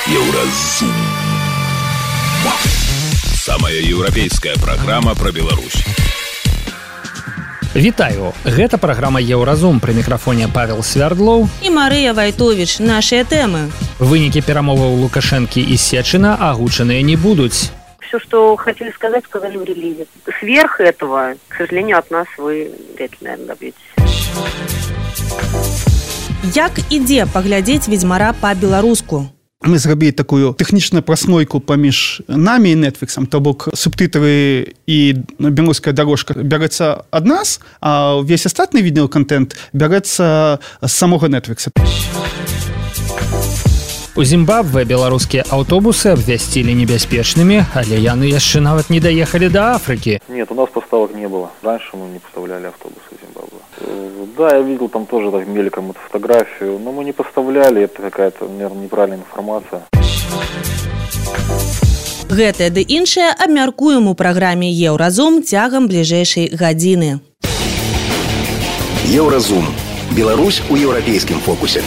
Еўразум. Самая еўрапейская праграма пра Беларусь. Вітаю! Гэта праграма «Еўразум». Пры мікрафоне Павел Свярдлоў і Марыя Вайтовіч. Нашыя тэмы. Вынікі перамоваў Лукашэнкі і Сечина агучаныя не будуць. Все, что хотели сказать, сказали в релизе. Сверх этого, к сожалению, от нас вы вряд ли, наверное, добьетесь. Як ідзе паглядзець «Ведзьмара» па-беларуску? Мы зрабілі такую тэхнічную праслойку паміж намі і Netflixам, то бок субтитры і беларуская дорожка бярэцца ад нас, а ўвесь астатны відеоконтент бярэцца з самога Netflix. У Зімбабве беларускія аўтобусы абвясцілі небяспечнымі, але яны яшчэ нават не даехалі да Африки. Нет, у нас поставок не было. Раньше мы не поставляли автобусы в Зимбабве. Да, я видел там тоже так мельком эту фотографию, но мы не поставляли, это какая-то, наверное, неправильная информация. Гэтае ды іншае абмяркуем у праграме «Еўразум» цягам бліжэйшай гадзіны. Еўразум. Беларусь у еўрапейскім фокусе.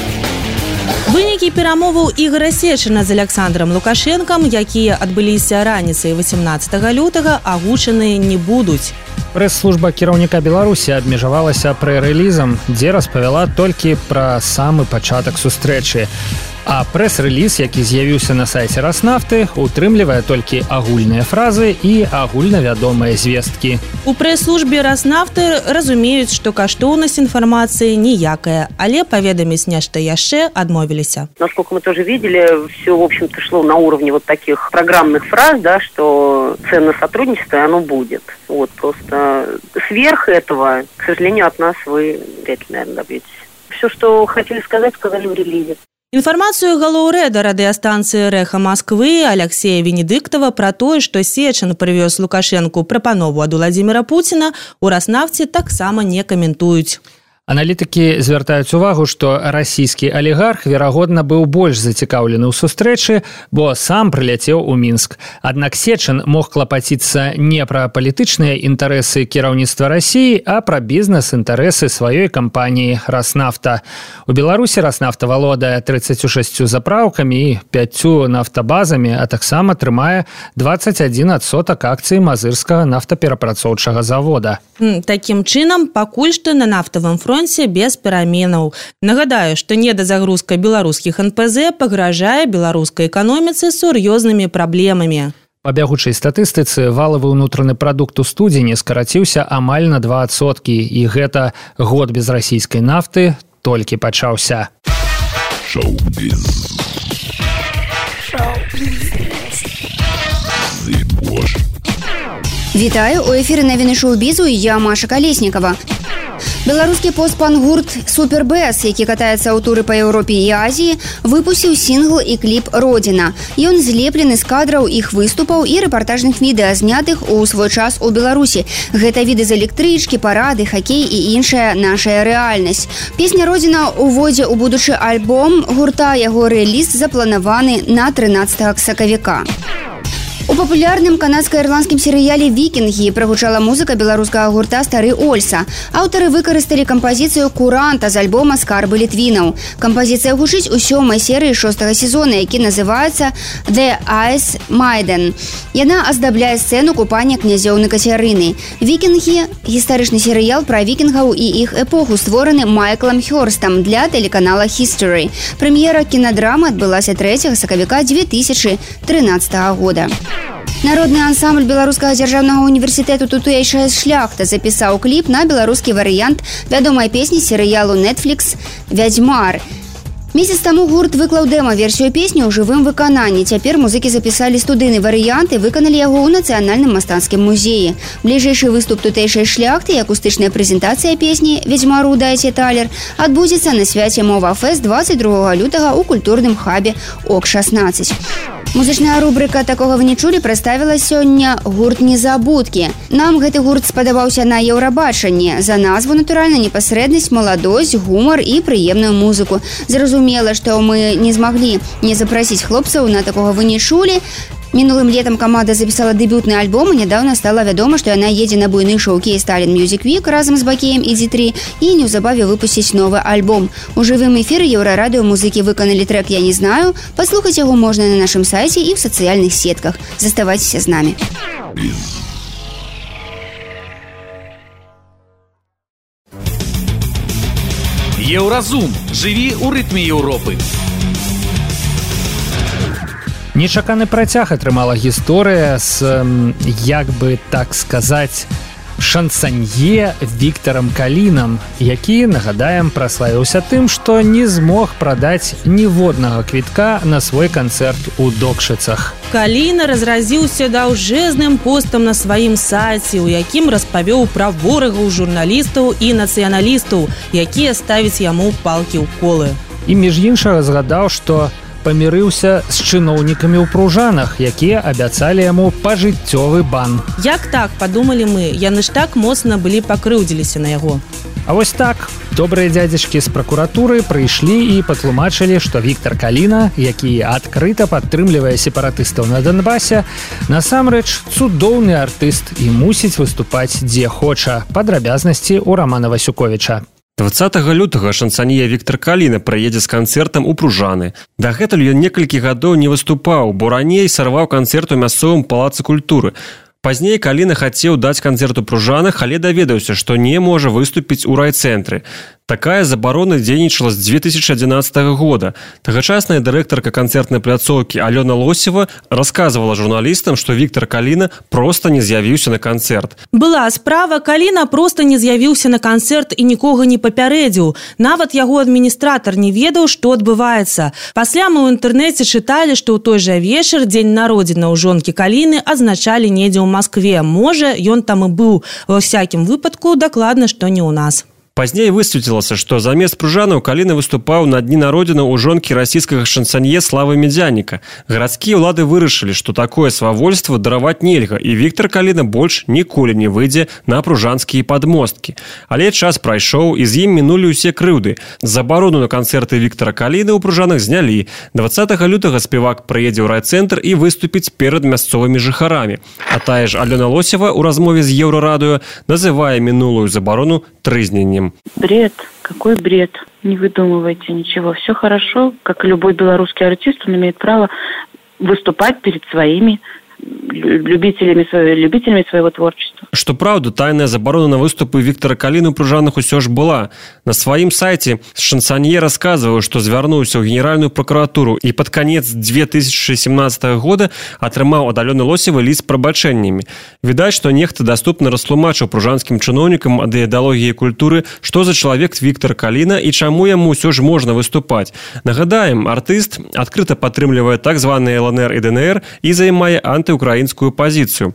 Вынікі перамоваў Ігора Сечина з Александром Лукашэнкам, якія адбыліся раніцай 18 лютага, агучаныя не будуць. Прэс-служба кіраўніка Беларусі абмежавалася прэ-рэлізам, дзе распавяла толькі пра самы пачатак сустрэчы. А прэс-рэліз, які з'явіўся на сайце Раснафты, утрымлівае толькі агульныя фразы і агульнавядомыя звесткі. У прэс-службе Раснафты разумеюць, што каштоўнасць інфармацыі ніякая, але паведаміць нешта яшчэ адмовіліся. Насколько мы тоже видели, все, в общем-то, шло на уровне вот таких программных фраз, да, что ценное сотрудничество, оно будет. Вот, просто сверх этого, к сожалению, от нас вы вряд ли, наверное, добьетесь. Все, что хотели сказать, сказали в релизе. Інфармацыю галоўрэда радыёстанцыі «Рэха Масквы» Алексея Венедыктова пра тое, што Сечин прывёз Лукашэнку прапанову ад Владзіміра Пуціна, у Раснафце таксама не каментуюць. Аналітыкі звяртаюць увагу, што расійскі алігарх, верагодна, быў больш зацікаўлены ў сустрэчы, бо сам прыляцеў у Мінск. Аднак Сечин мог клапаціцца не пра палітычныя інтарэсы кіраўніцтва Расіі, а пра бізнес-інтарэсы сваёй кампаніі «Раснафта». У Беларусі «Раснафта» валодае 36 запраўкамі і 5 нафтабазамі, а таксама трымае 21% акцый мазырскага нафтаперапрацоўчага завода. Такім чынам, пакуль што на нафтавым фронце без пераменаў. Нагадаю, што недазагрузка беларускіх НПЗ пагражае беларускай эканоміцы сур'ёзнымі праблемамі. Па бягучай статыстыцы валавы ўнутраны прадукт у студзені скараціўся амаль на 2%, і гэта год без расійскай нафты толькі пачаўся. Шоу-біз. Вітаю, у эфіры навіны шоу-бізу, і я Маша Калеснікава. Беларускі пост-панк-гурт «Супербэс», які катаецца ў туры па Еўропе і Азіі, выпусціў сінгл і кліп «Родзіна». Ён злеплены з кадраў іх выступаў і рэпартажных відэа, знятых у свой час у Беларусі. Гэта віды з электрычкі, парады, хакей і іншая нашая рэальнасць. Песня «Родзіна» уводзе ў будучы альбом гурта, яго рэліз запланаваны на 13 сакавіка. У папулярным канадска-ірландскім серыяле «Вікінгі» прагучала музыка беларускага гурта «Стары Ольса». Аўтары выкарысталі кампазіцыю «Куранта» з альбома «Скарбы літвінаў». Кампазіцыя гучыць у 7-й серыі 6-го сезона, які называецца «The Ice Maiden». Яна аздабляе сцэну купання князёў на Кацярыны. «Вікінгі» – гістарычны серыял пра вікінгаў і іх эпоху, створаны Майклам Хёрстам для тэлеканала History. Прэм'ера кінадрамы адбылася 3 сакавіка 2013 года. Народны ансамбль Беларускага дзяржаўнага універсітэту «Тутэйшая шляхта» запісаў кліп на беларускі варыянт вядомай песні серыялу Netflix «Ведзьмар». Месяц таму гурт выклаў дэма-версію песні ў жывым выкананні. Цяпер музыкі запісалі студыйны варыянт і выканалі яго ў Нацыянальным мастацкім музеі. Бліжэйшы выступ «Тутэйшай шляхты» і акустычная прэзентацыя песні «Ведзьмару дайце талер» адбудзецца на свяце «Мова-фэст» 22 лютага ў культурным хабе ОК-16. Музычная рубрика «Такога вы не чулі» прадставіла сёння гурт «Незабудкі». Нам гэты гурт спадабаўся на Еўрабачанні. За назву, натуральна, непасрэднасць, маладосць, гумар і прыемную музыку. Зразумела, што мы не змаглі не запрасіць хлопцаў на «Такога вы не чулі». Мінулым летам каманда запісала дэбютны альбом, і нядаўна стала вядома, што яна едзе на буйны шоу-кейс Tallinn Music Week разам з Бакеем і D3 і неўзабаве выпусціць новы альбом. У жывым эфіры Еўрарадыё музыкі выканалі трэк «Я не знаю». Паслухаць яго можна на нашым сайце і ў сацыяльных сетках. Заставайцеся з намі. Еўразум. Жыві ў рытме Еўропы. Нечаканы працяг атрымала гісторыя з, як бы так сказаць, шансанье Віктарам Калінам, які, нагадаем, праславіўся тым, што не змог прадаць ніводнага квітка на свой канцэрт у Докшыцах. Каліна разразіўся даўжэзным постам на сваім сайце, у якім распавёў пра ворагаў журналістаў і нацыяналістаў, якія ставяць яму палкі ў колы. І між іншага згадаў, што памірыўся з чыноўнікамі ў Пружанах, якія абяцалі яму пажыццёвы бан. Як так, падумалі мы, яны ж так моцна былі пакрыўдзіліся на яго. А вось так, добрыя дзядзечкі з пракуратуры прыйшлі і патлумачылі, што Віктар Каліна, які адкрыта падтрымлівае сепаратыстаў на Донбасе, насамрэч цудоўны артыст і мусіць выступаць дзе хоча. Падрабязнасці ў Рамана Васюковіча. 20 лютага шансанье Віктар Каліна прыедзе з канцэртам у Пружаны. Дагэтуль ён некалькі гадоў не выступаў, бо раней сарваў канцэрт у мясцовым палацы культуры. Пазней Каліна хацеў даць канцэрт у Пружанах, але даведаўся, што не можа выступіць у райцэнтры. Такая забарона дзейнічала з 2011 года. Тагачасная дырэктарка канцэртнай пляцоўкі Алёна Лосева расказвала журналістам, што Віктар Каліна проста не з'явіўся на канцэрт. Была справа, Каліна проста не з'явіўся на канцэрт і нікога не папярэдзіў. Нават яго адміністратар не ведаў, што адбываецца. Пасля мы ў інтэрнэце чыталі, што ў той жа вечар дзень народзінаў жонкі Каліны адзначалі недзе ў Маскве. Можа, ён там і быў. Ва ўсякім выпадку, дакладна, што не ў нас. Пазней высветлілася, што замест Пружанаў Каліна выступаў на дні народзінаў у жонкі расійскага шансанье Славы Медзяніка. Гарадскія ўлады вырашылі, што такое свавольства дараваць нельга, і Віктар Каліна больш ніколі не выйдзе на пружанскія падмосткі. Але час прайшоў, і з ім мінулі ўсе крыўды. Забарону на канцэрты Віктара Каліны ў Пружанах знялі. 20 лютага спевак прыедзе ў райцэнтр і выступіць перад мясцовымі жыхарамі. А тая ж Алёна Лосева ў размове з Еўрарадыё называе мінулую забарону трызненнем. Бред. Какой бред? Не выдумывайте ничего. Все хорошо. Как и любой белорусский артист, он имеет право выступать перед своими любителями своего творчества. Што праўда, тайная забарона на выступы Віктара Каліны ў Пружанах усё ж была. На сваім сайце шансанье расказваў, што звярнуўся ў Генеральную прокуратуру і пад канец 2017 года атрымаў ад Алёны Лосевай ліст з прабачэннямі. Відаць, што нехта даступна растлумачыў пружанскім чыноўнікам ад ідэалогіі культуры, што за чалавек Віктар Каліна і чаму яму ўсё ж можна выступаць. Нагадаем, артыст адкрыта падтрымлівае так званыя ЛНР і ДНР і займае антыукраінскую пазіцыю.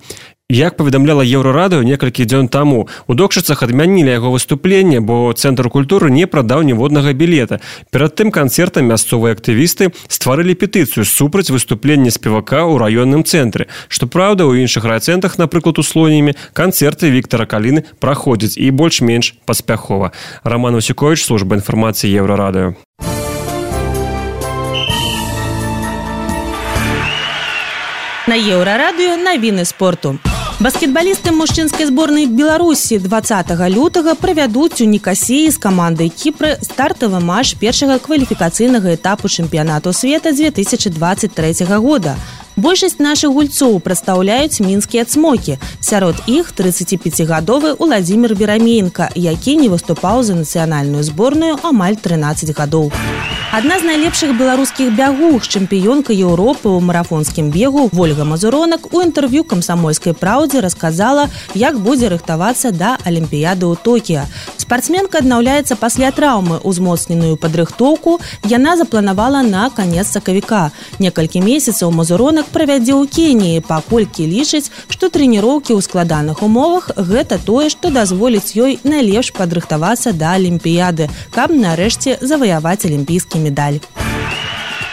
Як паведамляла Еўрарадыё некалькі дзён таму, у Докшыцах адмянілі яго выступленне, бо Цэнтр культуры не прадаў ніводнага білета. Перад тым канцэртам мясцовыя актывісты стварылі петыцыю супраць выступлення спевака ў раённым цэнтры. Што праўда, у іншых райцэнтрах, напрыклад, у Слонімі, канцэрты Віктара Каліны праходзяць і больш-менш паспяхова. Раман Васюковіч, служба інфармацыі Еўрарадыё. На Еўрарадыё навіны спорту. Баскетбалісты мужчынскай зборнай Беларусі 20 лютага правядуць у Нікасіі з камандай Кіпра стартавы матч першага кваліфікацыйнага этапу чэмпіянату света 2023 года. Большасць нашых гульцоў прадстаўляюць мінскія цмокі. Сярод іх 35-гадовы Уладзімір Вераменка, які не выступаў за нацыянальную зборную амаль 13 гадоў. Адна з найлепшых беларускіх бягух, чэмпіёнка Еўропы ў марафонскім бегу Вольга Мазуронак у інтэрв'ю «Камсамольскай праўдзе» расказала, як будзе рыхтавацца да Алімпіяды ў Токіа. Спартсменка аднаўляецца пасля траўмы. Узмоцненую падрыхтоўку яна запланавала на канец сакавіка. Некалькі месяцаў Мазуронак правядзе ў Кеніі, паколькі лічыць, што трэніроўкі ў складаных умовах – гэта тое, што дазволіць ёй найлепш падрыхтавацца да Алімпіяды, каб нарэшце заваяваць алімпійскі медаль.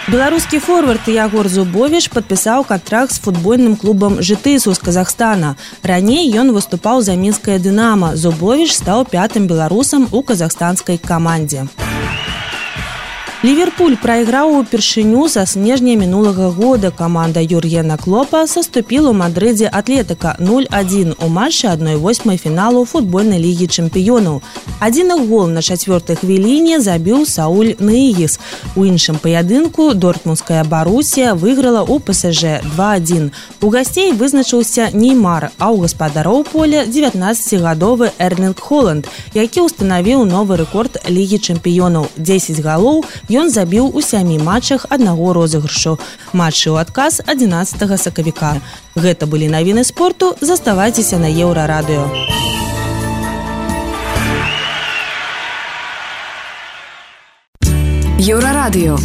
Беларускі форвард Ягор Зубовіш падпісаў кантракт з футбольным клубам «Жытысу» з Казахстана. Раней ён выступаў за мінскае «Дынама». Зубовіш стаў 5-м беларусам у казахстанскай камандзе. Ливерпуль прайграў упершыню са снежня мінулага года. Каманда Юргена Клопа саступіла ў Мадрыдзе Атлетыка 0-1 у матчы 1/8 фіналу футбольнай лігі чэмпіёнаў. Адзін гол на 4-й хвіліне забіў Сауль Ныгіс. У іншым паядынку дортмундская Барусія выйграла ў ПСЖ 2-1. У гасцей вызначыўся Неймар, а ў гаспадароў поля 19-гадовы Эрлінг Холанд, які ўстанавіў новы рэкорд лігі чэмпіёнаў. 10 галоў ён забіў у 7 матчах аднаго розыгрышу. Матчы ў адказ 11 сакавіка. Гэта былі навіны спорту. Заставайцеся на Еўрарадыё. Еўрарадыё.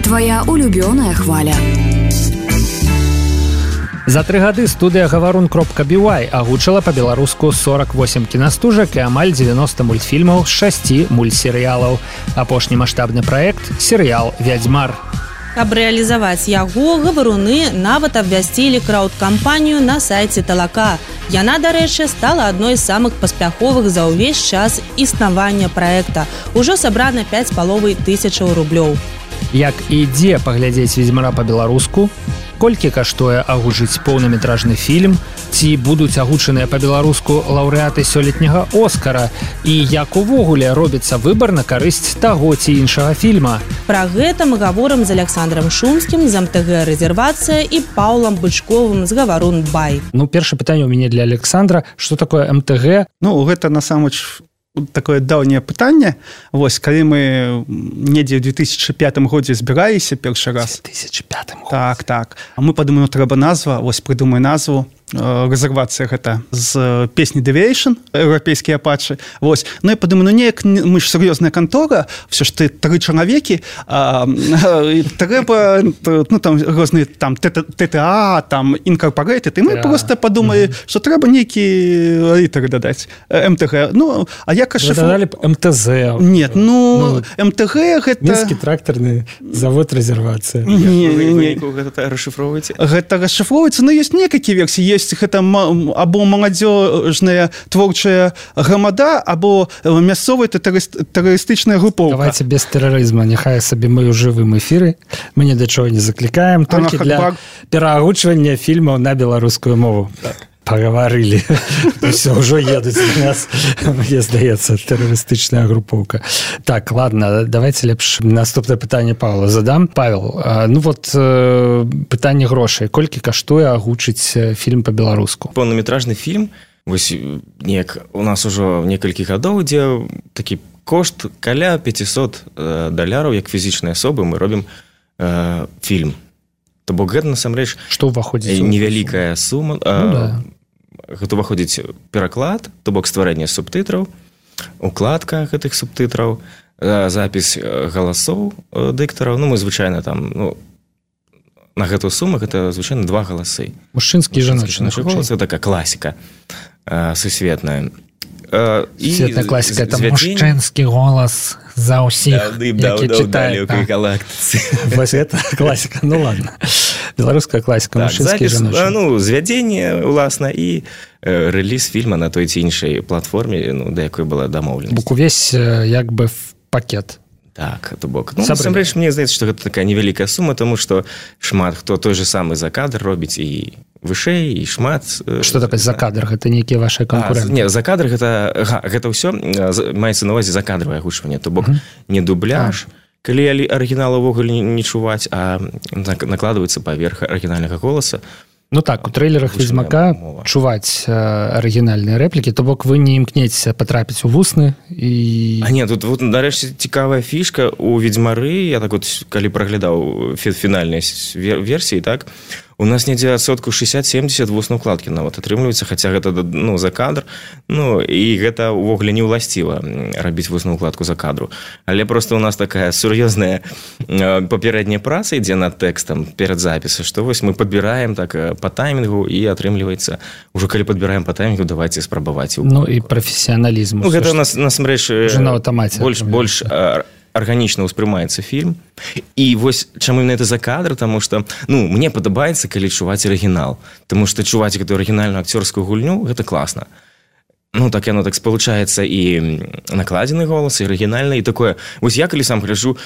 Твоя улюбёная хваля. За 3 гады студыя «Гаварун.бівай» агучыла па-беларуску 48 кінастужак і амаль 90 мультфільмаў з 6 мультсерыялаў. Апошні маштабны праект – серыял «Вядзьмар». Каб рэалізаваць яго, гаваруны нават абвясцілі краўд-кампанію на сайце Талака. Яна, дарэчы, стала адной з самых паспяховых за ўвесь час існавання праекта. Ужо сабрана 5500 рублёў. Як і дзе паглядзець «Ведзьмара» па-беларуску? Колькі каштуе агучыць поўнаметражны фільм? Ці будуць агучаныя па-беларуску лаўрэаты сёлетняга «Оскара»? І як увогуле робіцца выбар на карысць таго ці іншага фільма? Пра гэта мы гаворым з Александром Шумскім з МТГ «Рэзервацыя» і Паўлам Бычковым з «Гаварун.бай». Першае пытанне ў мяне для Александра. Што такое МТГ? Гэта насамрэч такое даўняе пытанне. Вось, калі мы недзе ў 2005 годзе збіраліся першы раз. 2005 годзе. Так. А мы падумаем, трэба назва, вось прыдумай назву. Рэзервацыя гэта з песні «Deviation», еўрапейскія апачы. Вось. Ну, я падумаю, неяк мы ж сур'ёзная кантора, все ж ты 3 чалавекі, трэба, там розныя там ТТА, там Incorporated, і мы просто падумалі, што трэба нейкі літары дадаць. МТГ. Ну, а як ашифроваць? Вы дадалі б МТЗ. Нет, МТГ гэта... Мінскі трактарны завод «Рэзервацыя». Гэта расшифроўваеце? Гэта расшифроўваецца, но ёсць некалькі версій. Гэта або маладзёжная творчая грамада, або мясцовая тэрарыстычная групоўка. Давайте без тэрарызма, няхай сабе мы ў жывым эфіры, мы ні да чого не заклікаем, толькі для пераагучвання фільмаў на беларускую мову. Паговорили. Все, ўжо едуць на нас, мне здаецца, тэрарыстычная групоўка. Так, ладно, давайте лепш наступнае пытанне Павла задам. Павел, пытанне грошай. Колькі каштуе агучыць фільм па-беларуску? Поўнаметражны фільм, вось неяк у нас ужо некалькі гадоў, дзе такі кошт каля $500, як фізічнай асобы мы робім фільм. То бок гэта насамрэч што ўваходзіць невялікая сума. Гэта ўваходзіць пераклад, то бок стварэнне субтытраў, укладка гэтых субтытраў, запіс галасоў дыктараў. Мы звычайна там на гэтую суму гэта звычайна 2 галасы. Мужчынскі і жаночны голас. Гэта такая класіка сусветная. Светная класіка, это мужчынскі голас за ўсіх, які чытаюць. Вось гэта класіка, ну ладно. Беларуская класіка, мужчынскі і жаночны. Звядзенне, уласна, і рэліз фільма на той ці іншай платформе, да якой была дамоўленасць. Бок увесь як бы пакет. Так, то бок. Насамрэч, мне здаецца, што гэта такая невялікая сума, тому што шмат хто той же самы за кадр робіць і вышэй, і шмат... Што такое за кадр? Гэта нейкія ваши канкуренты? Не, за кадр гэта ўсё маецца на увазе закадравае агучванне, то бок не дубляж, калі арыгінал увогуле не чуваць, а накладваецца паверх арыгінальнага голаса. Ну так, у трэйлерах «Ведзьмака» чуваць арыгінальныя рэплікі, то бок вы не імкнецеся патрапіць у вусны і... А не, тут, нарэшце, цікавая фішка у «Ведзьмары», я так вот, калі праглядаў фінальныя версіі, так, у нас недзе адсотку 60-70 вуснай укладкі нават атрымліваецца, хаця гэта за кадр, і гэта ўвогуле не ўласціва рабіць вусную укладку за кадру. Але просто у нас такая сур'ёзная папярэдняя праца ідзе над тэкстам перад запісам, што вось мы падбіраем так па таймінгу і атрымліваецца, ужо калі падбіраем па таймінгу, давайце спрабаваць. Ну і прафесіяналізм. Ну гэта у нас насамрэч больш арганічна ўспрымаецца фільм. І вось чаму именно это за кадр, таму што мне падабаецца, калі чуваць арыгінал, таму што чуваць гэтую арыгінальную акцёрскую гульню гэта класна. ну так яно так спалучаецца і накладзены голас, і арыгінальны, і такое. Вось я калі сам гляджу,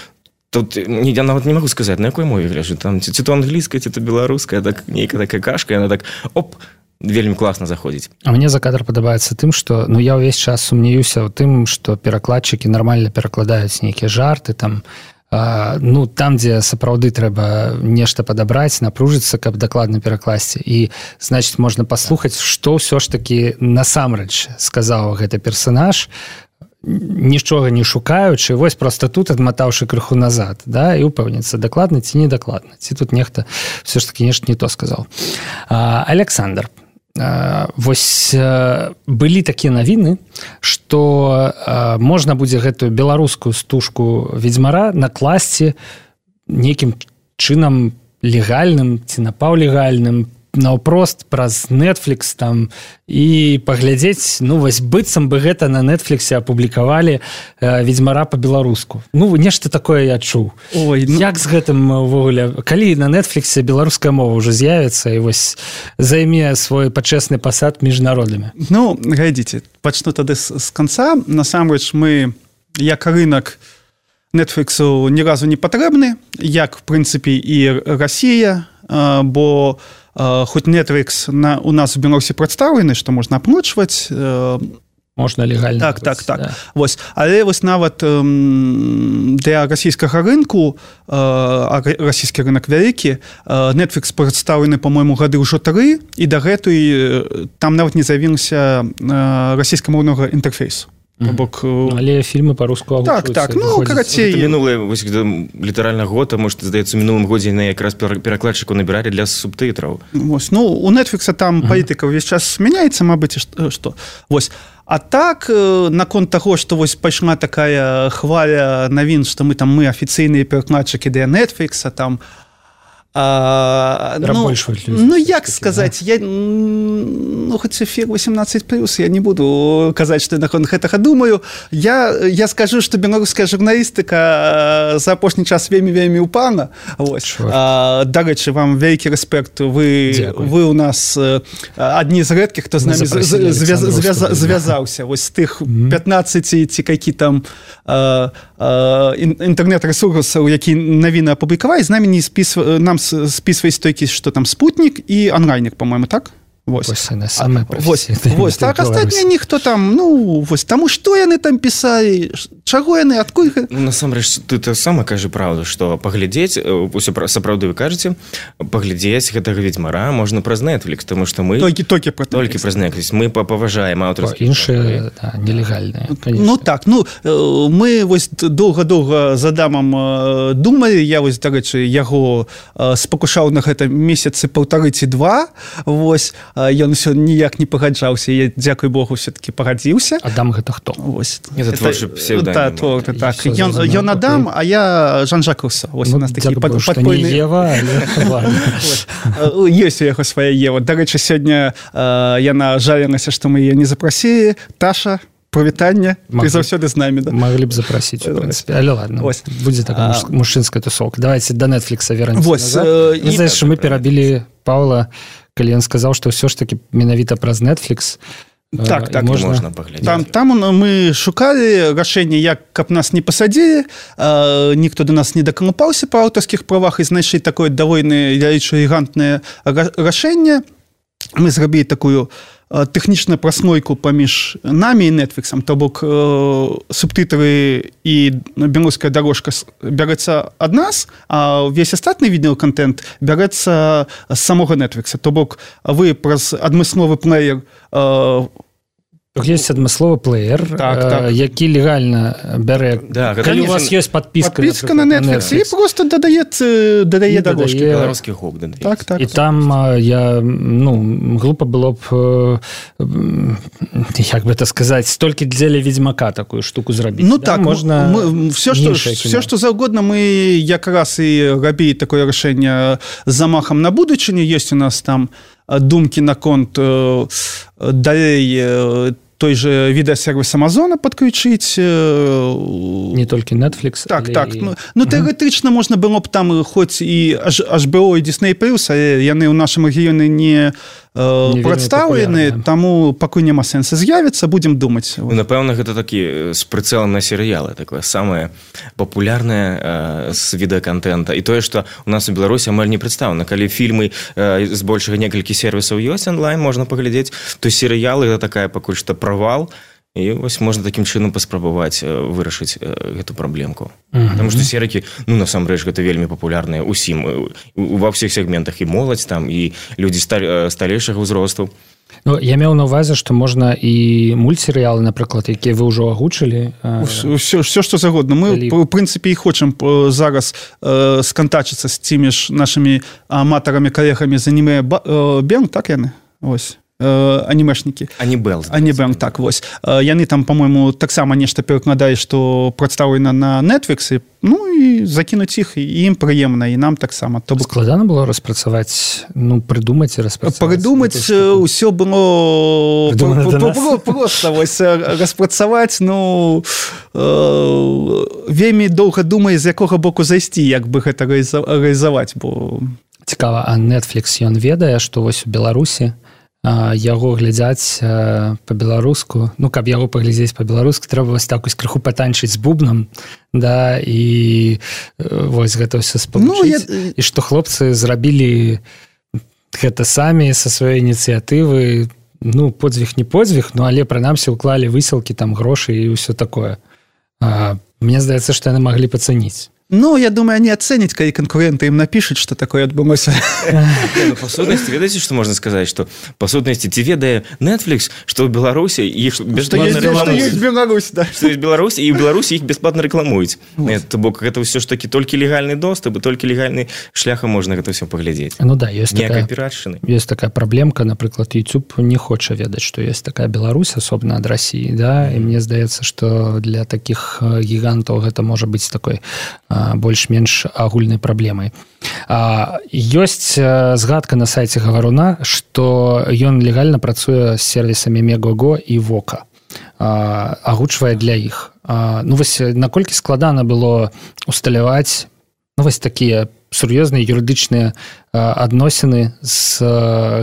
тут я нават не магу сказаць, на якой мове гляджу, там ці то англійская, ці то беларуская, так нейкая такая кашка, яна так оп, вельмі класна заходзіць. А мне за кадр падабаецца тым, што ну я ўвесь час сумнеюся ў тым, што перакладчыкі нармальна перакладаюць нейкія жарты там, ну там, дзе сапраўды трэба нешта падабраць, напружыцца, каб дакладна перакласці. І значит, можна паслухаць, што ўсё ж такі насамрэч сказаў гэты персанаж, нічога не шукаючы, вось проста тут адматаўшы крыху назад, да, і упэўніцца, дакладна ці недакладна, ці тут нехта все ж таки нешта не то сказаў. Александр, вось былі такія навіны, што можна будзе гэтую беларускую стужку ведзьмара накласці нейкім чынам легальным ці напаўлегальным, наўпрост праз Netflix там і паглядзець, ну вось быццам бы гэта на Netflixе апублікавалі ведзьмара па-беларуску. Ну нешта такое я чуў. Ой, ну... Як з гэтым увогуле, калі на Netflixе беларуская мова ўжо з'явіцца і вось займе свой пачэсны пасад між народамі? Ну, глядзіце, пачну тады з канца. Насамрэч мы як рынок Netflixу ні разу не патрэбны, як в прынцыпе і Расія, бо хоць Netflix у нас у Беларусі прадстаўлены, што можна аплачваць, можна легальна. Так. Да. Вось, але вось нават для расійскага рынку, расійскі рынок вялікі, Netflix прадстаўлены, па-мойму, гады ўжо 3, і дагэтуль там нават не з'явіўся расійскамоўнага інтэрфейсу. Бок... Але фільмы па-руску агучваюцца. Так, ну, карацей... Мінулыя, вось, літаральна год, а может, здаецца, у мінулым годзе на якраз перакладчыку набіралі для субтытраў. Вось, ну, у Netflix там палітыка ўвесь час мяняецца, мабыць, што. Вось. А так, наконт таго, што вось пайшла такая хваля навін, што мы афіцыйныя перакладчыкі для Netflix, там... Ну, як сказаць, я, ну, хоць эфір 18+, я не буду казаць, што я наконт гэтага думаю. Я скажу, што беларуская журналістыка за апошні час вельмі ўпала. Дарэчы, вам вялікі рэспект, вы у нас адні з рэдкіх, хто з намі звязаўся. Вось з тых 15 ці які там інтэрнэт-рэсурсаў, які навіны апублікавалі, з намі не нам списываясь толькі, што там спутнік і онлайнік, по-моему, так? Вось так, астатнія ніхто там, ну, вось, таму што яны там пісалі, чаго яны, адкуль... Ну, насамрэч, ты сама кажы правду, што паглядзець, усё сапраўды вы кажаце, паглядзець гэтага ведзьмара можна праз Netflix, таму што мы... Толькі праз Netflix, мы паважаем аўтарскія... Іншыя, нелегальныя, конечно. Ну, так, ну, мы вось доўга-доўга з Адамам думалі, я вось, дарэчы, яго спакушаў на гэта месяцы 1,5 ці 2, вось, ён усё ніяк не пагаджаўся, я, дзякуй Богу, все-таки пагадзіўся. Адам гэта хто? Вось. Это творчы псевдонім. Так, ён Адам, а я Жан-Жак Руссо. Вось у нас такі падпольны... Не Ева, але... Ёсць у яго свая Ева. Дарэчы, сёння яна жалілася, што мы яе не запрасілі. Таша, прывітанне, ты заўсёды з намі. Маглі б запрасіць, у прынцыпе. Але ладно, будзе такая мужчынская тусовка. Давайте до Netflixа вернемся назад. Знаеш, што мы перабілі Паўла, калі ён сказаў, што ўсё ж такі менавіта праз Netflix можна паглядзець. Там мы шукалі рашэнне, як каб нас не пасадзілі, ніхто до нас не дакалупаўся па аўтарскіх правах і знайшлі такое даволі элегантнае рашэнне. Мы зрабілі такую тэхнічную праслойку паміж намі і Netflixом, то бок субтытры і беларуская дарожка бярэцца ад нас, а ўвесь астатны відеоконтент бярэцца з самога Netflix. То бок вы праз адмысловы плеер Есть адмысловы плеер, які легальна бярэ. Калі у вас ёсць подпіска на Netflix, і просто дадае дарожкі. Беларускі гук дадае. І там я, глупа было б, як бы это сказаць, столькі дзеля Ведзьмака такую штуку зрабіць. Ну так, все, што заўгодна, мы якраз і рабілі такое рашэнне з замахам на будучыню. Ёсць у нас там думкі наконт далей той же відэасервіс Амазона падключыць. Не толькі Netflix. Так. Ну, тэарэтычна можна было б там хоць і HBO і Disney+, але яны ў нашым рэгіёне не прадстаўлены, таму пакуль няма сэнса з'явіцца, будзем думаць. Напэўна, гэта такі з прыцэлам на серыялы, такое самае папулярнае з відэаконтента. І тое, што у нас у Беларусі амаль не прадстаўлена. Калі фільмы збольшага некалькі сервісаў ёсць онлайн, можна паглядзець, то серыялы гэта такая пакуль што правал. І вось можна такім чынам паспрабаваць вырашыць гэту праблемку. Таму што серыкі, насамрэч, гэта вельмі папулярныя ўсім, ва ўсіх сегментах, і моладзь там, і людзі сталейшага ўзросту. Я меў на ўвазе, што можна і мультсерыялы, напрыклад, якія вы ўжо агучылі. Все, што загодна. Мы, в прынцыпе, і хочам зараз скантачыцца з тымі ж нашымі аматарамі, калегамі з аніме Бен, так яны? Ось. Анімешнікі. Анібел, так, вось. Яны там, па-мойму, таксама нешта перакладаюць, што прадстаўлена на Netflix, і закінуць іх, і ім прыемна, і нам таксама. Складана было распрацаваць, прыдумаць і распрацаваць? Прыдумаць усё было проста, вось, распрацаваць, вельмі доўга думае, з якога боку зайсці, як бы гэта рэалізаваць, бо... Цікава, а Netflix, ён ведае, што вось у Беларусі яго глядзяць па-беларуску, каб яго паглядзець па-беларуску, трэба вось так крыху патанчыць з бубнам, да, і вось гэта ўсё спалучыць. І што хлопцы зрабілі гэта самі са сваёй ініцыятывы, подзвіг не подзвіг, але прынамсі ўклалі высілкі, там грошы і ўсё такое. Мне здаецца, што яны маглі пацаніць. Я думаю, они оценят, когда конкуренты им напишут, что такое отбылося. По сутности, ведаете, что можно сказать? Что по сутности, те ведая Netflix, что в Беларуси их бесплатно рекламуют. Что есть Беларусь, да. Что есть Беларусь, и в Беларуси их бесплатно рекламуют. Это все ж таки только легальный доступ, и только легальный шляхом можно это все поглядеть. Есть такая проблемка, например, YouTube не хочет ведать, что есть такая Беларусь, особенно от России, да, и мне здаецца, что для таких гигантов это может быть такой больш-менш агульнай праблемай. Ёсць згадка на сайце Гаваруна, што ён легальна працуе з сервісамі Мегаго і Вока. Агучвае для іх. Вось наколькі складана было усталяваць вось такія сур'ёзныя юрыдычныя адносіны з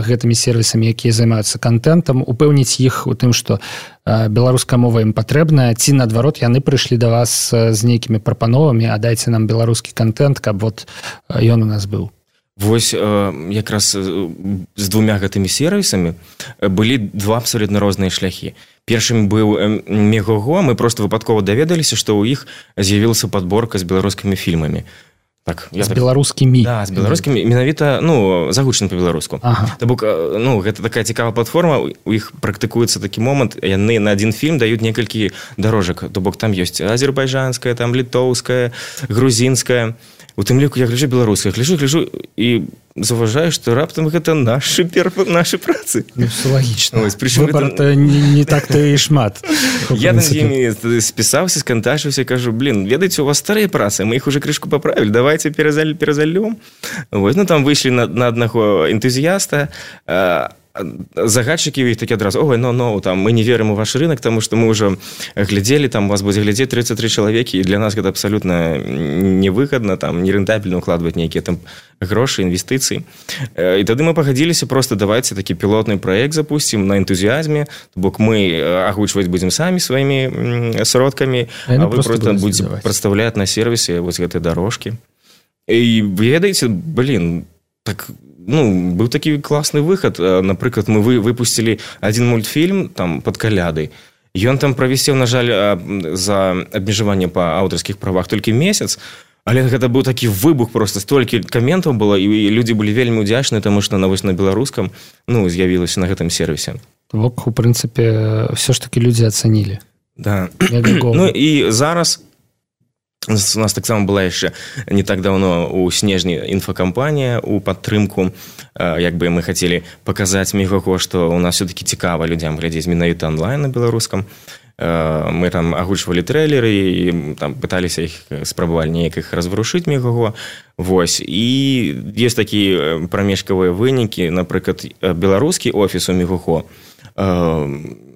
гэтымі сервісамі, якія займаюцца контентам, упэўніць іх у тым, што беларуская мова ім патрэбная, ці наадварот яны прыйшлі да вас з нейкімі прапановамі, а дайце нам беларускі контент, каб вот ён у нас быў. Вось якраз з двумя гэтымі сервісамі былі два абсолютна розныя шляхі. Першым быў Мегаго, мы просто выпадкова даведаліся, што ў іх з'явілася падборка з беларускімі фільмамі. З беларускімі. Да, з беларускімі, менавіта, загучаны па-беларуску. То бок, гэта такая цікавая платформа, у іх практыкуецца такі момант, яны на адзін фільм даюць некалькі дарожак, то бок там ёсць азербайджанская, там літоўская, грузінская. У тым ліку я гляджу беларуская, гляджу і заўважаю, што раптам гэта нашы працы. Все лагічна. Выбар-то не так-то і шмат. Я над імі спісаўся, скантачыўся, кажу, ведаеце, у вас старыя працы, мы іх уже крышку паправілі, давайте перазальём. Там выйшлі на аднаго энтузіяста, загадчыкі іх такі адразу, там мы не верым у ваш рынок, таму што мы ўжо глядзелі, там вас будзе глядзець 33 чалавекі, і для нас гэта абсалютна невыгадна, там нерэнтабельна укладваць нейкія там грошы, інвестыцыі. І тады мы пагадзіліся, просто давайце такі пілотны праект запусцім на энтузіазме, то бок мы агучваць будзем самі сваімі сродкамі, а вы просто будзеце прадстаўляць на сервісе вось гэтыя дарожкі. І ведаеце, так... быў такі класны выхад. Напрыклад, мы выпусцілі адзін мультфільм там пад калядай. Ён там правісеў, на жаль, за абмежаванне па аўтарскіх правах толькі месяц, але гэта быў такі выбух, просто столькі каментаў было, і людзі былі вельмі ўдзячныя, таму што на беларускам з'явілася на гэтым сервісе. Бок, у прынцыпе, ўсё ж такі людзі ацанілі. Да. І зараз у нас таксама была яшчэ не так давно у снежні інфакампанія у падтрымку, як бы мы хацелі паказаць Мегаго, што у нас все-таки цікава людзям глядзець менавіта онлайн на беларускам. Мы там агучвалі трэйлеры і там пыталіся іх, спрабавалі неяк іх разварушыць Мегаго. Вось. І ёсць такія прамежкавыя вынікі, напрыклад, беларускі офіс у Мегаго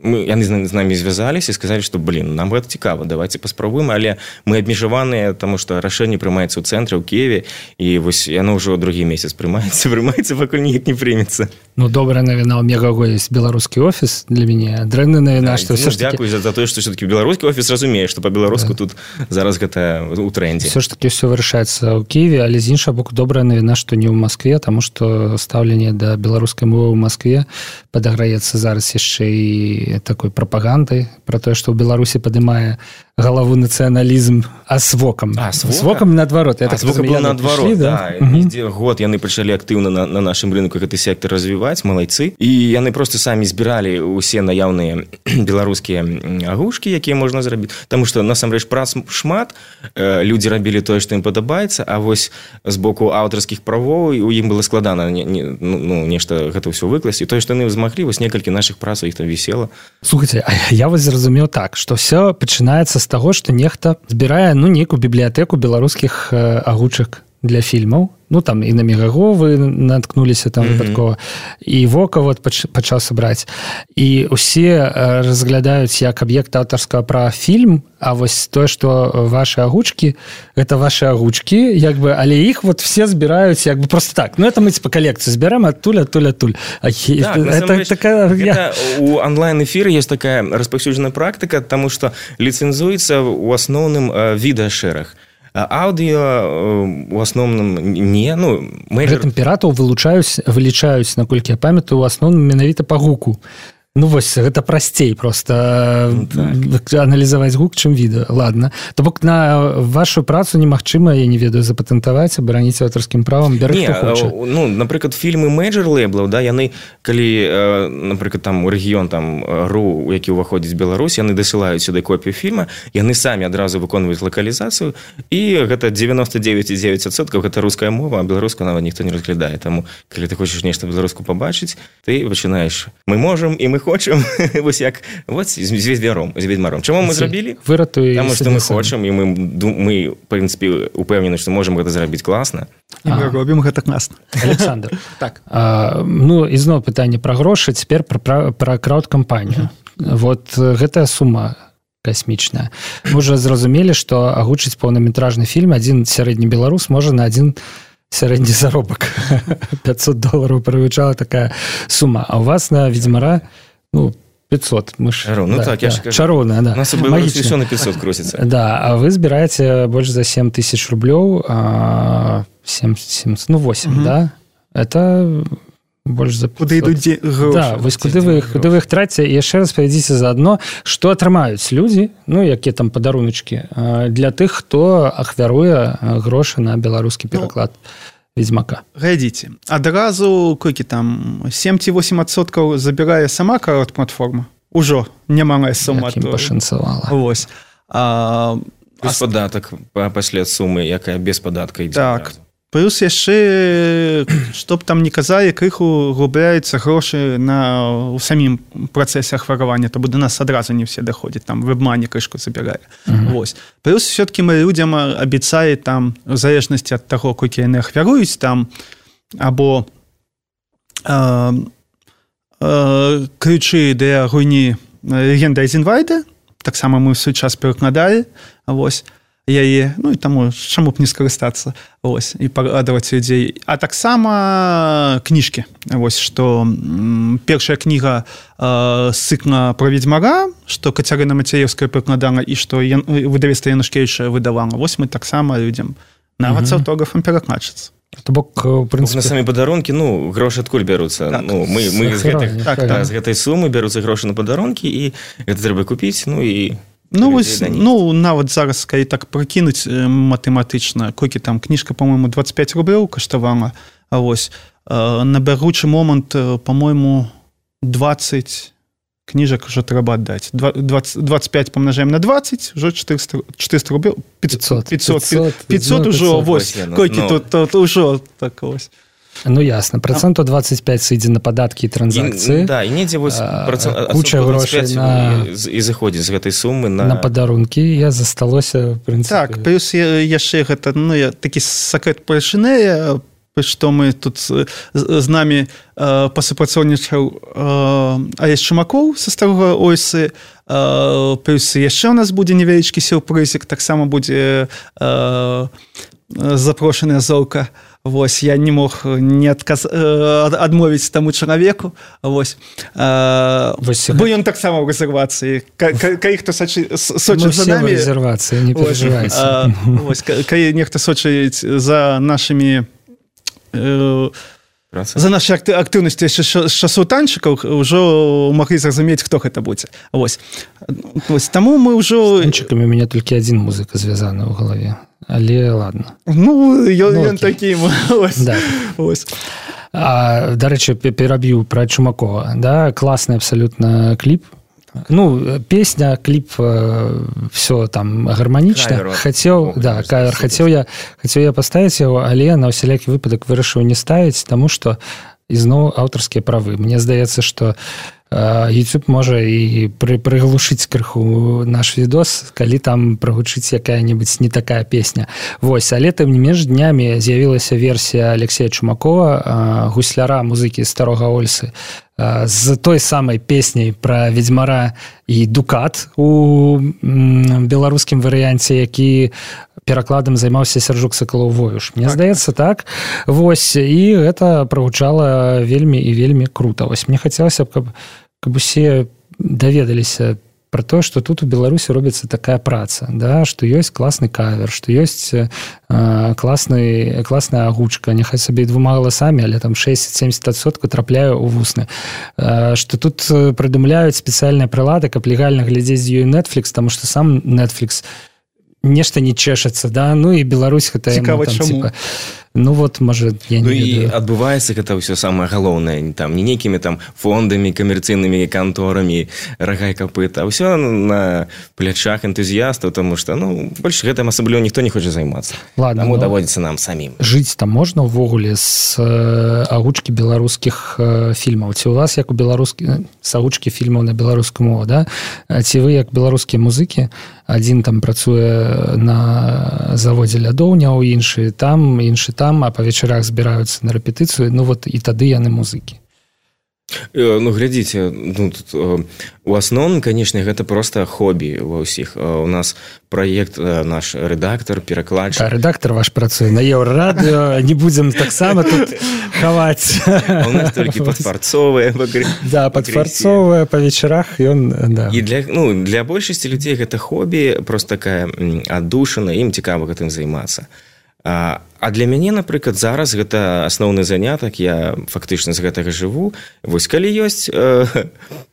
яны з намі звязаліся і сказалі, што нам гэта цікава, давайте паспрабуем, але мы абмежаваныя, таму што рашэнне прымаецца ў цэнтры ў Киеве, і вось яно ўжо другі месяц прымаецца, пакуль ніяк не прымецца. Ну, добрая навіна, у Мегаго ёсць беларускі офіс для мяне, дрэнная навіна, што ўсё ж такі... Дзякуй за тое, што ўсё-такі беларускі офіс разумее, што па-беларуску тут зараз гэта ў трэндзе. Ўсё ж такі ўсё вырашаецца ў Киеве, але з іншага боку добрая навіна, што не ў Маскве, таму што стаўленне да беларускай мовы ў Маскве падаграецца зараз яшчэ і такой прапагандай пра тое, што ў Беларусі падымае галаву нацыяналізм, а з вокам. З вокам наадварот. З вокам быў наадварот, да. Год яны пачалі актыўна на нашым рынку гэты сектор развіваць, малайцы. І яны проста самі збіралі ўсе наяўныя беларускія агушкі, якія можна зрабіць. Таму што, насамрэч, прац шмат, людзі рабілі тое, што ім падабаецца, а вось з боку аўтарскіх правоў у ім было складана нешта гэта ўсё выкласці. Тое, што яны змаглі, вось некалькі нашых працаў іх там вісела. Слухайце, а я вось зразумеў так, што ўсё пачынаецца з таго, што нехта збірае нейкую бібліятэку беларускіх агучак для фільмаў. Ну, там і на Мегаго вы наткнуліся там выпадкова, і Вока вот пачаў сабраць. І ўсе разглядаюць як аб'ект аўтарскага права фільм, а вось тое, што вашы агучкі, гэта вашы агучкі, як бы, але іх вот все збіраюць як бы просто так. Ну, это мы па калекцыю збярэм адтуль. У онлайн-эфіры есть такая распаўсюджаная практыка, таму што ліцэнзуецца ў асноўным відэашэраг. Аўдыо у асноўным не, гэтым піратаў вылічаюць, наколькі я памятаю, у асноўным менавіта па гуку. Ну, вось, гэта прасцей проста аналізаваць гук, чым відэо. Ладно. То бок на вашу працу немагчыма, я не ведаю, запатэнтаваць, абараніць аўтарскім правам, бяры хто хоча. Ну, напрыклад, фільмы мэйджор-лэйблаў, да, яны, калі, напрыклад, там у рэгіён там РУ, у які ўваходзіць Беларусь, яны дасылаюць сюды копію фільма, яны самі адразу выконваюць лакалізацыю, і гэта 99,9% гэта руская мова, а беларускую нават ніхто не разглядае. Таму, калі ты хочаш нешта беларуску пабачыць, ты пачынаеш «Мы можам і мы хочам», вось як, вось з ведьмаром. Чаму мы зрабілі? Таму што мы хочам, і мы, в прынцыпе, упэўнены, што можам гэта зрабіць класна. І мы робім гэта класна. Александр, так. Ну, ізноў пытанне пра грошы, цяпер пра краўд-кампанію. Вот гэтая сума касмічная. Мы ўжо зразумелі, што агучыць поўнаметражны фільм адзін сярэдні беларус можа на адзін сярэдні заробак. $500 прывычала такая сума. А у вас на ведьмара 500. Мы ж, так, я ж кажу. Чароўная, да. У нас у Беларусі ўсё на 500 крутіцца. Да, а вы збіраеце больш за 7 тысяч рублёў, 8, да? Это больш за 500. Куды ідуць грошы? Да, вось куды вы іх траціце? Яшчэ раз павядзіце заадно, што атрымаюць людзі, ну, якія там падаруначкі, для тых, хто ахвяруе грошы на беларускі пераклад Ведьмака. Глядзіце, адразу колькі там 7-8% забірае сама краўд-платформа. Ужо немалая сума. Якім пашанцавала. Вось. Без падатак пасля сумы, якая без падатка ідзе. Так. Плюс яшчэ, што б там не казалі, крыху губляюцца грошы у самім працэсе ахваравання, то да нас адразу не все даходзяць, там вебмані крышку забірае. Вось. Плюс все-таки мы людзям абяцалі там, в залежнасці ад таго, колькі яны ахвяруюць там, або ключы для гульні «Легенда Айзенвайда», таксама мы ў свой час перакладалі, вось, яе, ну і таму чаму б не скарыстацца, вось, і парадаваць людзей. А таксама кніжкі, вось, што першая кніга з цыкла пра Ведьмара, што Кацярына Мацяевская перакладала і што выдавецтва Янушкевіча выдавала. Вось мы таксама людзям нават з аўтографам перакладчыцца. То бок, у прынцыпе... На самі падарункі, грошы адкуль бяруцца? Так. Мы з гэтай сумы бяруцца грошы на падарункі, і гэта трэба купіць, і... нават зараз, калі так прыкінуць матэматычна, колькі там кніжка, по-моему, 25 рублёў каштавала, а вось, на бягучы момант, по-моему, 20 кніжак уже трэба аддаць. 25 помножаем на 20, уже 400 рублёў. 500 ужо, вось, колькі тут ужо так вось. Ну, ясно. Проценту 25 сыдзе на падаткі і транзакцыі. Да, і недзе вось куча грошай і заходзіць з гэтай сумы на падарункі. Я засталося, в прынцыпе. Так, плюс яшчэ гэта, такі сакрэт палішынэя, што мы тут з намі пасупрацоўнічаў Алесь Чумакоў са Старога Ойсы, плюс яшчэ у нас будзе невялічкі сюрпрызік, таксама будзе запрошаная Золка. Вось, я не мог не адмовіць таму чалавеку. Вось. Бо ён таксама ў рэзервацыі. Калі хто сочыць за намі... рэзервацыі, не перажывайце. Калі нехта сочыць за нашымі... За наши актыўнасці з часоў танчыкаў ўжо маглі зразумець, хто гэта будзе. Вось. Таму мы ўжо... З танчыкамі у мяне толькі адзін музыка звязаны ў галаве. Але ладно. Ну, ён такі. Да. Дарэчы, пераб'ю пра Чумакова. Да? Класны абсалютна кліп. Ну, песня, кліп, все там гарманічна. Хацеў я паставіць яго, але на ўсялякі выпадак вырашыў не ставіць, таму што ізноў аўтарскія правы. Мне здаецца, што YouTube можа і прыглушыць крыху наш відос, калі там прагучыць якая-небудзь не такая песня. Вось, але тым не менш днямі з'явілася версія Алексея Чумакова, гусляра музыкі Старога Ольсы, з той самай песняй пра ведзьмара і дукат у беларускім варыянце, які перакладам займаўся Сяржук Сакалоў-Воюш. Мне здаецца, так. Вось, і гэта прагучала вельмі і вельмі крута. Вось, мне хацелася б, каб усе даведаліся пра тое, што тут у Беларусі робіцца такая праца, да? Што ёсць класны кавер, што ёсць класная агучка, няхай сабе двума галасамі, але там 60-70% трапляе ў вусны. Што тут прыдумляюць спецыяльныя прылады, каб легальна глядзець з ёй Netflix, таму што сам Netflix нешта не чэшацца, да? Ну і Беларусь гэта... Цікава, чаму? Ну вот, можа, я не ведаю. І адбываецца гэта ўсё самае галоўнае, там, не нейкімі там фондамі, камерцыйнымі канторамі, рагай капыта, а ўсё на плячах энтузіястаў, тому што, ну, больш гэтым асабліва ніхто не хоча займацца. Ладно, таму даводзіцца нам самім. Жыць там можна ўвогуле з агучкі беларускіх фільмаў? Ці у вас, як у беларускі, з агучкі фільмаў на беларускую мову, да? Ці вы, як беларускія музыкі, адзін там працуе на заводзе лядоўняў, іншы там, а па вечарах збіраюцца на рэпетыцыю, ну вот і тады яны музыкі. Ну, глядзіце, ну, тут, у асноўным, канешне, гэта проста хобі ва ўсіх. У нас праект, наш рэдактар, перакладчык. Да, рэдактар ваш працуе на Еўрарадыё, не будзем таксама тут хаваць. У нас толькі падфарцовыя. Да, падфарцовыя па вечарах, ён, да. І для большасці людзей гэта хобі, проста такая аддушана, ім цікава гэтым займацца. А для мяне, напрыклад, зараз гэта асноўны занятак, я фактычна з гэтага жыву. Вось калі ёсць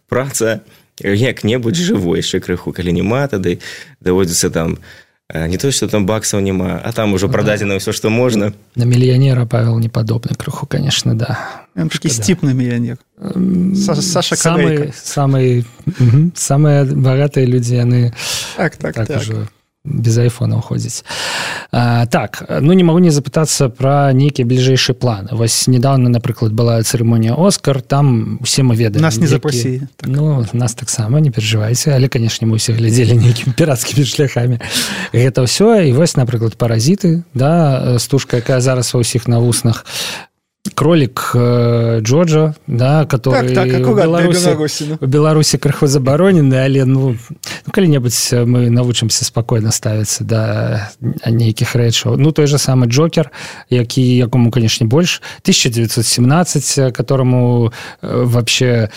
праца, як-небудзь жыву яшчэ крыху, калі няма, тады даводзіцца там, не то, што там баксаў няма, а там ужо прададзена ўсё, што можна. На мільянера Павел не падобны крыху, конечно, да. Ён такі сціпны мільянер. Саша Калейка. Самыя багатыя людзі, яны так ужо без айфона ходзіць. Так, ну не магу не запытацца пра нейкія бліжэйшыя планы. Вось недавно, напрыклад, была цырымонія Оскар, там усе мы ведаем. Нас не запрасілі. Ну, нас таксама, не перажывайце, але, канешне, мы ўсе глядзелі нейкімі пірацкімі шляхамі. Гэта ўсё, і вось, напрыклад, «Паразіты», да, стужка, якая зараз ва ўсіх на вуснах. Кролик Джоджо, да, который в Беларуси крыху забаронены, але ну калі-небудзь мы навучымся спокойно ставіцца да нейкіх рэчаў. Ну той же самый Джокер, якому, конечно, больш, 1917, которому вообще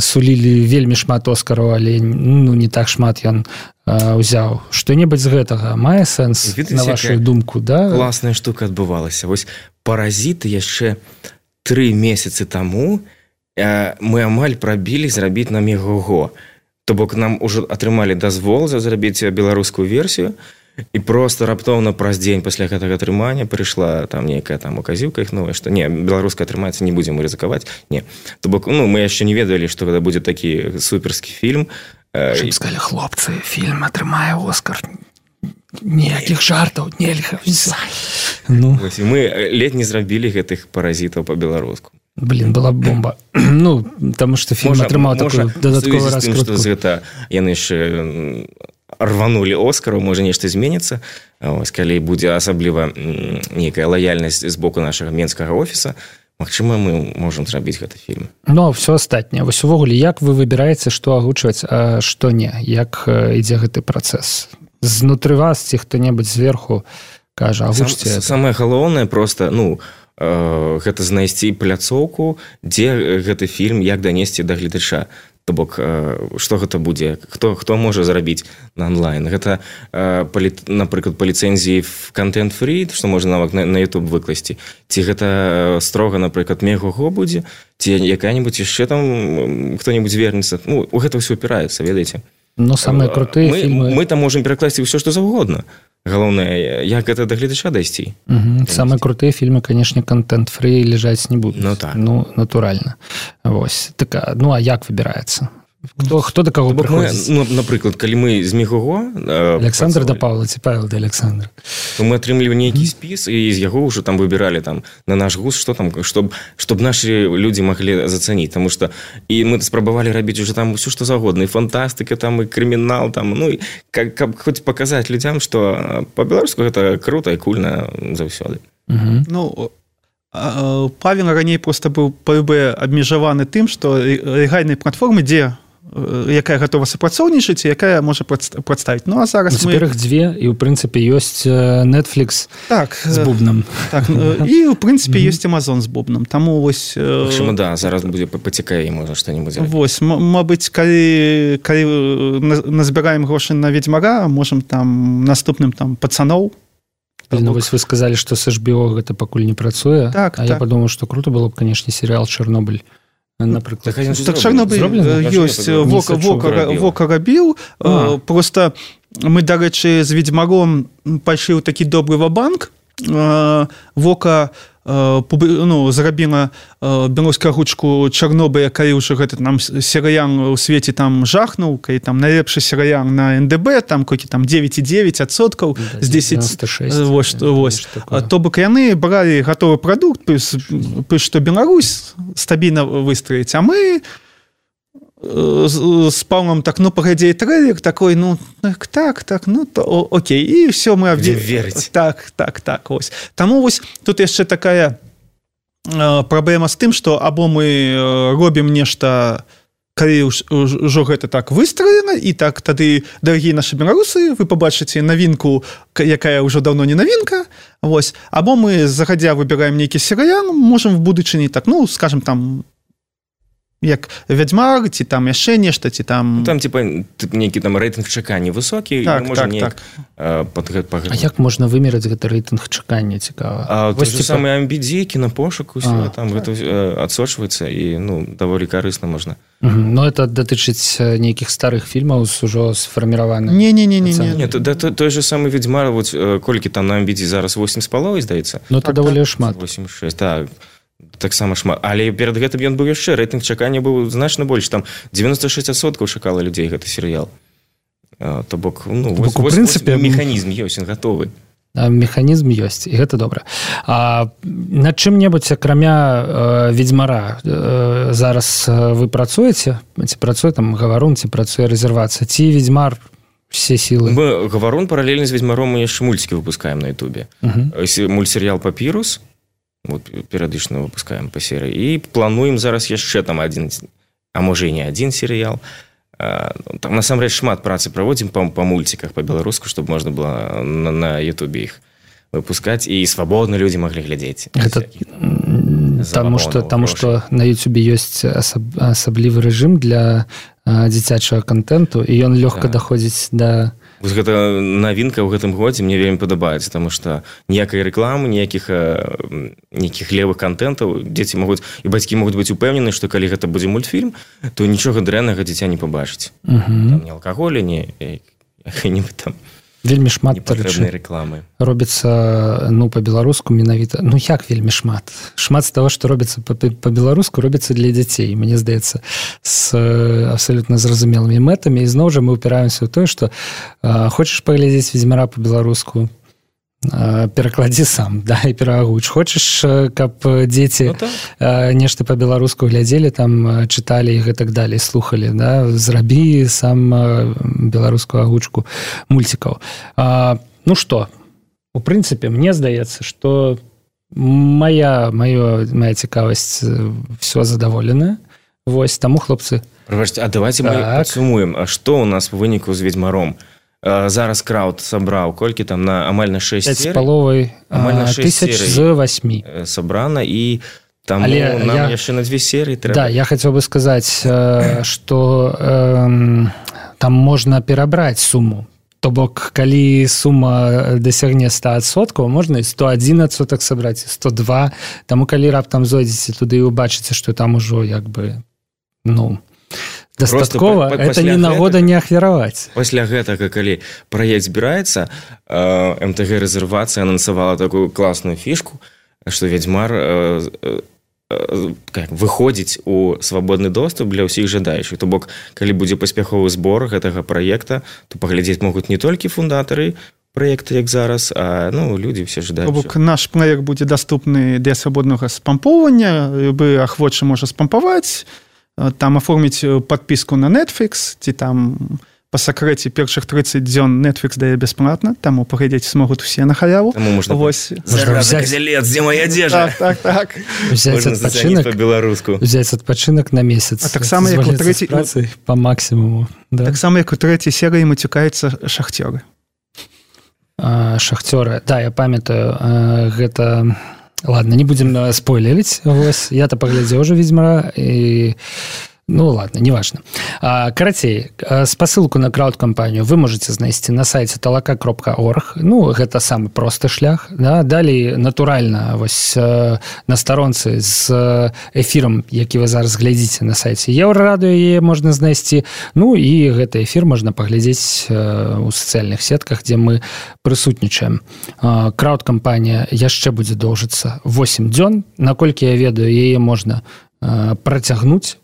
сулілі вельмі шмат Оскараў, але ну не так шмат ён узяў. Што-небудзь з гэтага мае сэнс, на вашу думку, да? Класная штука адбывалася. Вось «Паразіты» яшчэ 3 месяцы таму мы амаль прабілі зрабіць на Мегого. То бок нам ужо атрымалі дазвол зрабіць беларускую версію, і проста раптоўна праз дзень пасля гэтага атрымання прыйшла там нейкая там указівка іх новая, што не, беларуская атрымаецца, не будзем рызыкаваць. Не. То бок, ну, мы яшчэ не ведалі, што гэта будзе такі суперскі фільм. Щоб сказали, хлопцы, фільм атрымае Оскар. Ніякіх жартаў нельга. Ну. Мы ледь не зрабілі гэтых «Паразітаў» па-беларуску. Блин, была бомба. Ну, таму што фільм атрымаў такую дадатковую раскрутку. Што з гэта яны яшчэ рванулі Оскару, можа нешта зменіцца. Ось, калі будзе асабліва нейкая лаяльнасць з боку нашага менскага офіса, магчыма, мы можам зрабіць гэты фільм. Ну, все астатняе. Вось увогуле, як вы выбіраеце, што агучваць, а што не? Як ідзе гэты працэс? Знутры вас ці хто-небудзь зверху кажа, агучце? Самае галоўнае проста, гэта знайсці пляцоўку, дзе гэты фільм, як данесці да гледача. То бок, што гэта будзе? Хто можа зрабіць на онлайн? Гэта, напрыклад, па ліцэнзіі контент-фрі, што можна нават на YouTube выкласці. Ці гэта строга, напрыклад, Мегого будзе? Ці якая-небудзь яшчэ там хто-небудзь звернецца? У гэта ўсё упіраецца, ведаеце? Ну, самыя крутыя фільмы... Мы там можам перакласці ўсё, што заўгодна. Галоўнае, як гэта да гледача дайсці. Самыя крутыя фільмы, канешне, контент-фрі ляжаць не будуць. Ну, так. Ну, натуральна. Вось. Так, ну, а як выбіраецца? Хто да каго прыходзіць? Напрыклад, калі мы з Мегого... Александр да Павла, ці Павел да Александра. То мы атрымлівалі нейкі спіс, і з яго ўжо там выбіралі там, на наш густ, што там, чтоб нашы людзі маглі зацаніць. Таму што і мы спрабавалі рабіць уже там ўсё, што загодна. І фантастыка, там, і крымінал, там, ну, і каб хоць паказаць людзям, што па-беларуску гэта крута і кульна заўсёды. Ну, Павел раней проста быў ПБ абмежаваны тым, што легальнай платформы, дзе якая гатова супрацоўнічаць, якая можа прадставіць. Ну, а зараз цяпер іх дзве, і ў прынцыпе ёсць Netflix з бубнам. Так, і ў прынцыпе ёсць Amazon з бубнам. Таму вось... Магчыма, да, зараз будзе пацікае, можа што-небудзь. Вось, мабыць, калі назбіраем грошы на Ведзьмара, можам там наступным там пацаноў. Ну, вось вы сказалі, што з HBO гэта пакуль не працуе, а я падумаў, што круто было б, канешне, серыял «Чарнобыль». Напрыклад. Так Чарнобыль ёсць, Вока рабіў, просто мы, дарэчы, з Ведзьмаром пайшлі ў такі добры ва-банк. Вока зрабіла беларускую агучку Чарнобыля, калі ўжо гэты нам серыял у свеце там жахнуў, калі там найлепшы серыял на НДБ, там кокі там 9,9% з 10. Вось. То бок яны бралі гатовы прадукт, што Беларусь стабільна выстраіць, а мы з Павлом так, паглядзей трэйлер такой, так, то окей, і все мы верыць. Так, ось. Таму вось тут яшчэ такая праблема з тым, што або мы робім нешта, калі ўжо гэта так выстроена, і так тады, дарагія нашы беларусы, вы пабачыце навінку, якая ўжо даўно не навінка, вось, або мы загадзя выбіраем нейкі серыял, можам в будучыні так, скажем там, як Вядзьмар, ці там яшчэ нешта, ці там... Там, нейкі там рэйтынг чакання высокі, так, можа неяк... А як можна вымераць гэты рэйтынг чакання, цікава? Вось те самыя амбідзі, кінапошук, усё, там гэта адсочваецца, і, даволі карысна можна. Ну, это датычыць нейкіх старых фільмаў з ужо сфарміраваных? Не. Той же самы Ведзьмар, колькі там на амбідзі зараз 8,5, здаецца? Ну, это даволі шмат. 8,6, так. Таксама шмат. Але перад гэтым ён быў яшчэ, рэйтынг чакання быў значна больш. Там 96% чакала людзей гэты серыял. То бок, механізм ёсць, ён гатовы. Механізм ёсць, і гэта добра. Над чым-небудзь, акрамя Ведзьмара, зараз вы працуеце? Ці працуе там Гаварун, ці працуе рэзервацыя? Ці Ведзьмар все сілы? Мы Гаварун паралельна з Ведзьмаром мы яшчэ мульцікі выпускаем на Ютубе. Мультсерыял «Папірус», перыядычна выпускаем па серыі, і плануем зараз яшчэ там адзін, а можа і не адзін серыял. Там насамрэч шмат працы праводзім па мульціках па-беларуску, чтобы можна было на Ютубе іх выпускаць, і свабодна людзі маглі глядзець. Таму што на Ютубе ёсць асаблівы рэжым для дзіцячага контенту, і ён лёгка даходзіць да... Гэта навінка ў гэтым годзе мне вельмі падабаецца, таму што ніякай рэкламы, нейкіх левых контентаў дзеці могуць, і бацькі могуць быць упэўнены, што калі гэта будзе мультфільм, то нічога дрэннага дзіця не пабачыць. Там ні алкаголя, ні там вельмі шмат рэкламы робіцца па-беларуску менавіта. Як вельмі шмат з таго, што робіцца па-беларуску, робіцца для дзяцей, мне здаецца, з абсалютна зразумелымі мэтамі. І зноў жа мы ўпіраемся ў тое, што хочаш паглядзець Ведзьмара па-беларуску, перакладзі сам, і пераагуч. Хочаш, каб дзеці нешта па-беларуску глядзелі, там чыталі і гэтак далей, слухалі, зрабі сам беларускую агучку мульцікаў. Ну што, у прынцыпе мне здаецца, што моя цікавасць все задаволеная. Вось таму хлопцы. А давайте мы падсумуем, а што у нас в выніку з ведьмаром? Зараз крауд сабраў колькі там на амаль на 6 серый, амаль на 6 тысяч з 8 сабрана, і там нам яшчэ на 2 серыі трэба. Да, я хацеў бы сказаць, што там можна перабраць суму. То бок, калі сума дасягне 100%, можна і 101% сабраць, 102. Таму калі раптам зойдзеце туды і убачыце, што там ужо як бы, дастаткова, это не нагода не ахвяраваць. Пасля гэтага, калі праект збіраецца, МТГ рэзервацыя анансавала такую класную фішку, што ведьмар выходзіць у свабодны доступ для ўсіх жадаючых. То бок, калі будзе паспяховы збор гэтага праекта, то паглядзець могуць не толькі фундатары проекта, як зараз, а людзі все жадаючыя. То бок, наш праект будзе даступны для свабоднага спампоўвання, любы ахвочы можа спампаваць, там аформіць подпіску на Netflix, ці там па сакрэце першых 30 дзён Netflix дае бясплатна, таму паглядзець смогуць усе на халяву. Таму можна зараза козелец, дзе моя адзежа? Так. Можна зацаніць па-беларуску. Взяць адпачынак на месяц. А таксама, як у трэцяй... Па максімуму. Таксама, як у трэцяй серыі мацюкаюцца шахцёры. Шахцёры. Да, я памятаю, гэта... Ладно, не будем спойлерить. Я то поглядел уже «Ведьмара», и... ладно, неважно. Карацей, спасылку на крауд-кампанію вы можете знайсці на сайце talaka.org. Гэта самы просты шлях. Да? Далей, натуральна, на старонцы з эфірам, які вы зараз глядзіце на сайце Еўрарадыё, яе можна знайсці. І гэты эфір можна паглядзець у сацыяльных сетках, дзе мы прысутнічаем. Крауд-кампанія яшчэ будзе доўжыцца 8 дзён. Наколькі я ведаю, яе можна працягнуць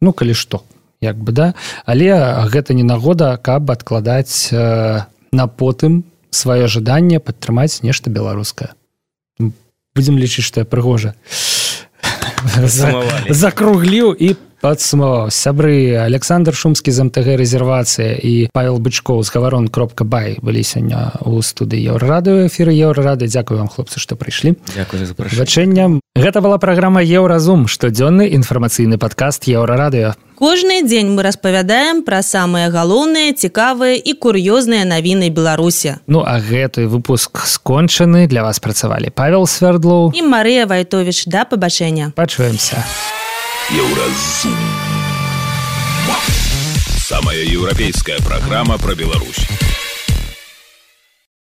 калі што, як бы, да? Але гэта не нагода, каб адкладаць на потым сваё жаданне падтрымаць нешта беларускае. Будзем лічыць, што я прыгожа закругліў і падсумаваў. Сябры Александр Шумскі з МТГ рэзервацыя і Павел Бычкоў з Гаварон.бай былі сёння ў студыі Еўрарадыё, эфіры Еўрарадыё. Дзякую вам, хлопцы, што прыйшлі. Дзякую за запрашэнне. Гэта была праграма «Еўразум», штодзённы інфармацыйны падкаст Еўрарадыё. Кожны дзень мы распавядаем пра самыя галоўныя, цікавыя і кур'ёзныя навіны Беларусі. А гэты выпуск скончаны. Для вас працавалі Павел Свердлоў і Марыя Вайтовіч. Да пабачэння. Пачуемся. Еўразум. Самая еўрапейская праграма пра Беларусь.